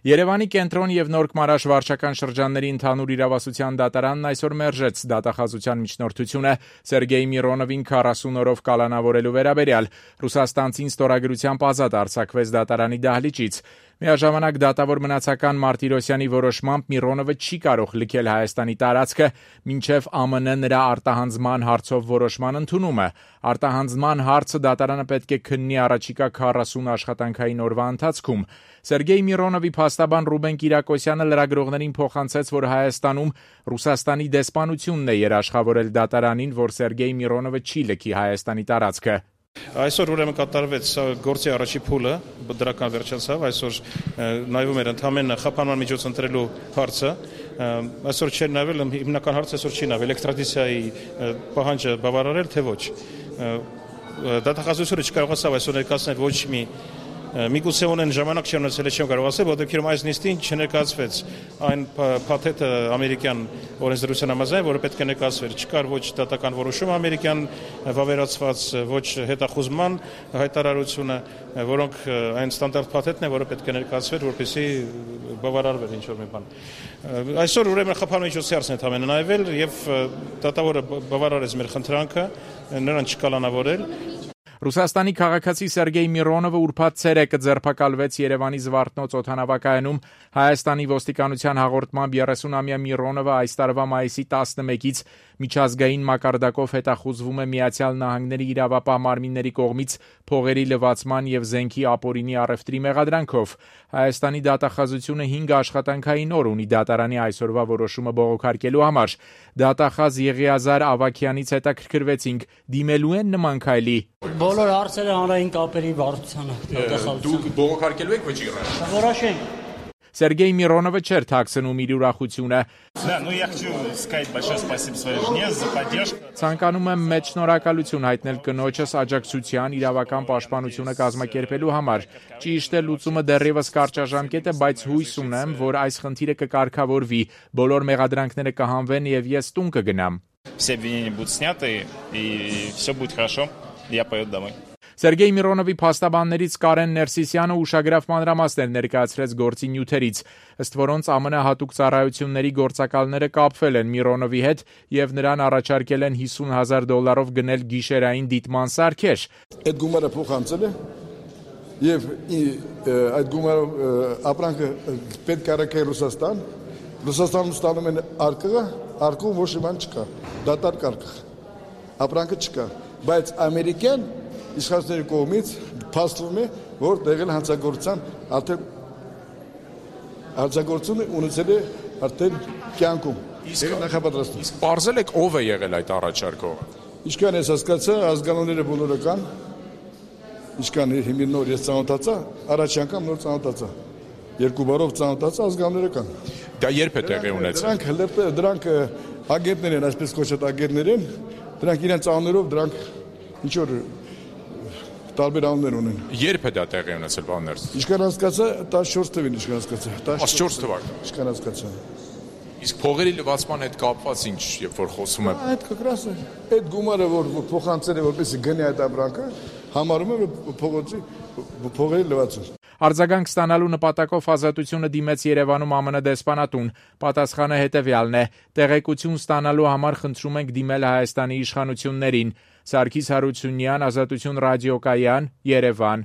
Երևանի կենտրոն եւ Նոր Քմարաշ վարչական շրջանների ընդհանուր իրավասության դատարանն այսօր մերժեց դատախազության միջնորդությունը Սերգեյ Միրոնովին 40 օրով կալանավորելու վերաբերյալ։ Ռուսաստանցին ստորագրությամբ ազատ արձակվեց դատարանի դահլիճից։ Միաժամանակ դատավոր մնացական Մարտիրոսյանի որոշմամբ Միրոնովը չի կարող լքել Հայաստանի տարածքը, մինչև ԱՄՆ նրա արտահանձնման հարցով որոշման ընդունումը։ Արտահանձնման հարցը դատարանը պետք է քննի առաջիկա 40 աշխատանքային օրվա ընթացքում։ Սերգեյ Միրոնովի փաստաբան Ռուբեն Կիրակոսյանը լրագրողներին փոխանցեց, որ Հայաստանում Ռուսաստանի դեսպանությունն է երաշխավորել դատարանին, որ Սերգեյ Միրոնովը չի լքի Հայաստանի տարածքը։ Այսօր ուրեմն կատարվեց գործի առաջի փուլը, դրական վերջացավ, այսօր նայվում էր ընդհանրապես խափանման միջոց ընտրելու հարցը, այսօր չէր նայվել, հիմնական հարցը այսօր չի նայվել, էքստրադիցիայի պահանջը բավարարել թե ոչ։ Դատախազությունը չկարողացավ այսօր ներկայացնել ոչ միգուցե ունեն ժամանակ չի ունեցել, չեմ կարող ասել, որովհետև այս նիստին չներկայացվեց այն փաթեթը ամերիկյան օրենսդրության համաձայն, որը պետք է ներկայացվեր։ Չկար ոչ դատական որոշում ամերիկյան վավերացված, ոչ հետախուզման հայտարարությունը, որոնք այն ստանդարտ փաթեթն է, որը պետք է ներկայացվեր, որպեսզի բավարարվեր ինչ-որ մի բան։ Այսօր ուրեմն խափանման միջոցի հարցն է ընդհանրապես նայվել եւ դատավորը բավարարեց մեր խնդրանքը, նրան չկալանավորել։ Ռուսաստանի քաղաքացի Սերգեյ Միրոնովը ուրբաթ ցերեկը ձերբակալվեց Երևանի Զվարթնոց օդանավակայանում։ Հայաստանի ոստիկանության հաղորդմամբ 30-ամյա Միրոնովը այս տարվա մայիսի 11-ից միջազգային մակարդակով հետախուզվում է Միացյալ Նահանգների իրավապահ մարմինների կողմից փողերի լվացման եւ զենքի ապօրինի առևտրի մեղադրանքով։ Հայաստանի դատախազությունը 5 աշխատանքային օր ունի դատարանի այսօրվա որոշումը բողոքարկելու համար։ Դատախազ Եղիազար Ավագյանից հետաքրքրվեցինք, դիմելու են նման քայլի։ Բոլոր հարցերը հանրային կապերի վարչությանը դատախազության։ Դուք բողոքարկելու եք ոչ իռաշ։ Որոշենք։ Սերգեյ Միրոնովը չէր թաքցնում իր ուրախությունը։ Ցանկանում եմ մեծ շնորհակալություն հայտնել կնոջս աջակցության իրավական պաշտպանությունը կազմակերպելու համար։ Ճիշտ է, լուծումը դեռևս կարճաժամկետ է, բայց հույս ունեմ, որ այս խնդիրը կկարգավորվի, բոլոր մեղադրանքները կհանվեն եւ ես տուն կգնամ։ Все обвинения будут сняты и все будет хорошо. Я поеду домой. Սերգեյ Միրոնովի փաստաբաններից Կարեն Ներսիսյանը ուշագրավ մանրամասներ ներկայացրեց գործի նյութերից, ըստ որոնց ԱՄՆ հատուկ ծառայությունների գործակալները կապվել են Միրոնովի հետ եւ նրան առաջարկել են $50,000 գնել գիշերային դիտման սարքեր։ Այդ գումարը փոխանցել է եւ այդ գումարով ապրանքը պետք է առաքել Ռուսաստան։ Ռուսաստանում ստանում են արկղում ոչ մի բան չկա, դատարկ արկղ, ապրանքը չկա, բայց ամերիկյան իշխանությունների կողմից փաստվում է, որ տեղել հանցագործության հանցագործությունը ունեցել է արդեն կյանքում։ Իսկ նախապատրաստում։ Իսկ բարձել եք ով է եղել այդ առաջարկողը։ Ինչքան ես հասկացա, ազգանունները բոլորը կան։ Ինչքան հիմի նոր ես ծանոթացա, առաջ անգամ նոր ծանոթացա։ Երկու բարով ծանոթացա, ազգանունները կան։ Դա երբ է տեղի ունեցել։ Դրանք ագենտներ են, այսպես կոչված ագենտներ են։ Դրանք իրենց անուններով դրանք ինչ որ տարբեր անուններ ունեն։ Երբ է դա տեղի ունեցել, պարոն Ներսիսյան։ Ինչքան հասկացա, 14 թվին ինչքան հասկացա։ 14 թվական։ Ինչքան հասկացա։ Իսկ փողերի լվացման հետ կապված ինչ, երբ որ խոսում եմ։ Այդ կկրաս է։ Այդ գումարը որ փոխանցել է, որպեսզի գնի այդ ապրանքը, համարում է փողերի լվացում։ Արձագանք ստանալու նպատակով Ազատությունը դիմեց Երևանում ԱՄՆ դեսպանատուն։ Պատասխանը հետևյալն է. տեղեկություն ստանալու համար խնդրում ենք դիմել Հայաստանի իշխանություններին։ Սարգիս Հարությունյան, Ազատություն ռադիոկայան, Երևան։